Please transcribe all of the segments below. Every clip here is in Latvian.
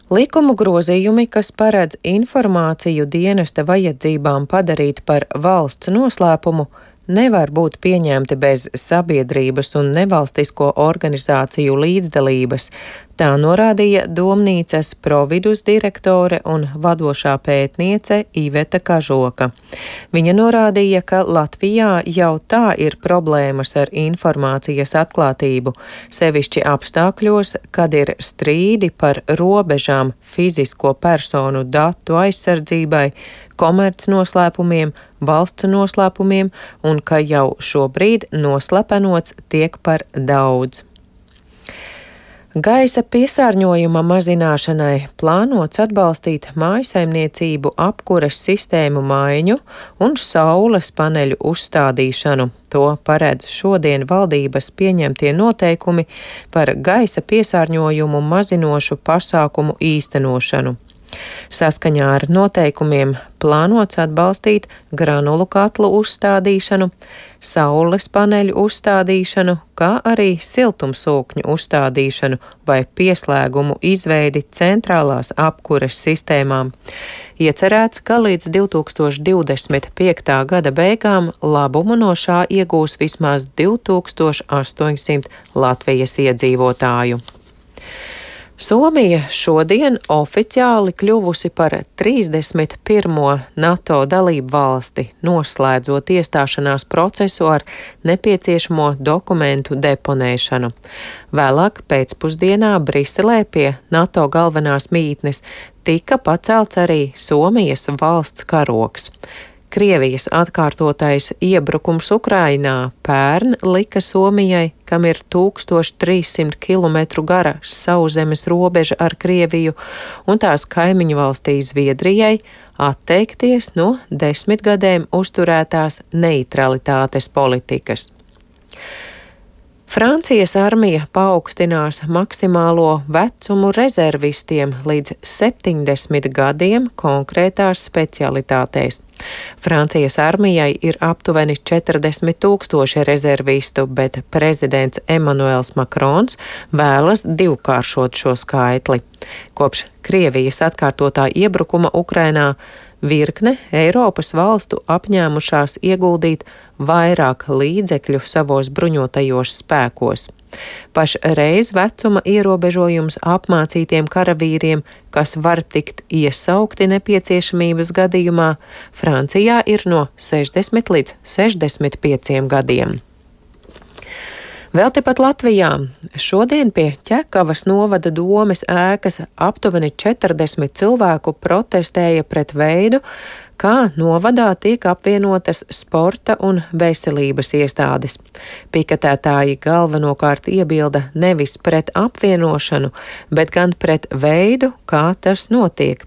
Likumu grozījumi, kas paredz informāciju dienesta vajadzībām padarīt par valsts noslēpumu, nevar būt pieņemti bez sabiedrības un nevalstisko organizāciju līdzdalības, tā norādīja Domnīcas providus direktore un vadošā pētniece Iveta Kažoka. Viņa norādīja, ka Latvijā jau tā ir problēmas ar informācijas atklātību, sevišķi apstākļos, kad ir strīdi par robežām fizisko personu datu aizsardzībai, komercnoslēpumiem, valsts noslēpumiem un ka jau šobrīd noslepenots tiek par daudz. Gaisa piesārņojuma mazināšanai plānots atbalstīt mājasaimniecību apkures sistēmu maiņu un saules paneļu uzstādīšanu. To paredz šodien valdības pieņemtie noteikumi par gaisa piesārņojumu mazinošu pasākumu īstenošanu. Saskaņā ar noteikumiem plānots atbalstīt granulu katlu uzstādīšanu, saules paneļu uzstādīšanu, kā arī siltumsūkņu uzstādīšanu vai pieslēgumu izveidi centrālās apkures sistēmām. Iecerēts, ka līdz 2025. gada beigām labumu no šā iegūs vismaz 2800 Latvijas iedzīvotāju. Somija šodien oficiāli kļuvusi par 31. NATO dalību valsti, noslēdzot iestāšanās procesu ar nepieciešamo dokumentu deponēšanu. Vēlāk pēcpusdienā Briselē pie NATO galvenās mītnes tika pacelts arī Somijas valsts karogs. Krievijas atkārtotais iebrukums Ukrainā pērn lika Somijai, kam ir 1300 kilometru gara sauszemes robeža ar Krieviju, un tās kaimiņu valstī Zviedrijai atteikties no 10 gadiem uzturētās neitralitātes politikas. Francijas armija paaugstinās maksimālo vecumu rezervistiem līdz 70 gadiem konkrētās specialitātēs. Francijas armijai ir aptuveni 40 000 rezervistu, bet prezidents Emmanuels Macrons vēlas divkāršot šo skaitli. Kopš Krievijas atkārtotā iebrukuma Ukrainā virkne Eiropas valstu apņēmušās ieguldīt vairāk līdzekļu savos bruņotajos spēkos. Pašreiz vecuma ierobežojums apmācītiem karavīriem, kas var tikt iesaukti nepieciešamības gadījumā, Francijā ir no 60 līdz 65 gadiem. Vēl tepat Latvijā šodien pie Ķekavas novada domes ēkas aptuveni 40 cilvēku protestēja pret veidu, kā novadā tiek apvienotas sporta un veselības iestādes. Piketētāji galvenokārt iebilda nevis pret apvienošanu, bet gan pret veidu, kā tas notiek.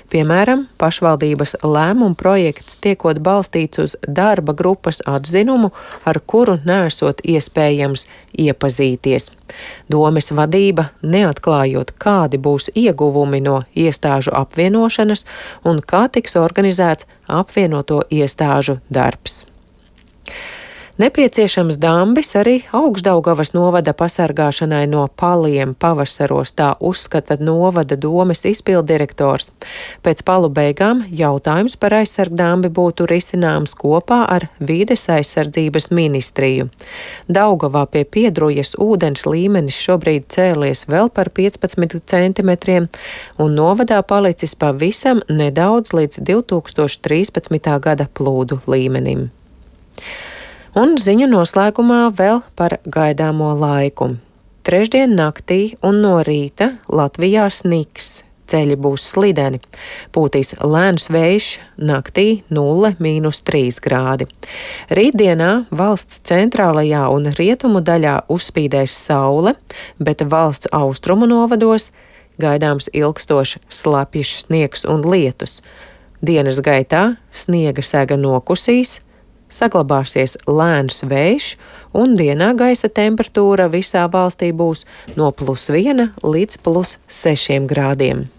Piemēram, pašvaldības lēmuma projekts tiekot balstīts uz darba grupas atzinumu, ar kuru nesot iespējams iepazīties. Domes vadība, neatklājot, kādi būs ieguvumi no iestāžu apvienošanas un kā tiks organizēts apvienoto iestāžu darbs. Nepieciešams dambis arī Augšdaugavas novada pasargāšanai no paliem pavasaros, tā uzskata novada domes izpilddirektors. Pēc palu beigām jautājums par aizsargdambi būtu risināms kopā ar Vides aizsardzības ministriju. Daugavā pie Piedrujas ūdens līmenis šobrīd cēlies vēl par 15 centimetriem un novadā palicis pavisam nedaudz līdz 2013. gada plūdu līmenim. Un ziņu noslēgumā vēl par gaidāmo laiku. Trešdien naktī un no rīta Latvijā sniks, ceļi būs slideni, pūtīs lēns vējš, naktī 0–3 grādi. Rītdienā valsts centrālajā un rietumu daļā uzspīdēs saule, bet valsts austrumu novados gaidāms ilgstošs slapjš sniegs un lietus. Dienas gaitā sniega sega nokusīs, saglabāsies lēns vējš un dienā gaisa temperatūra visā valstī būs no +1 līdz +6 grādiem.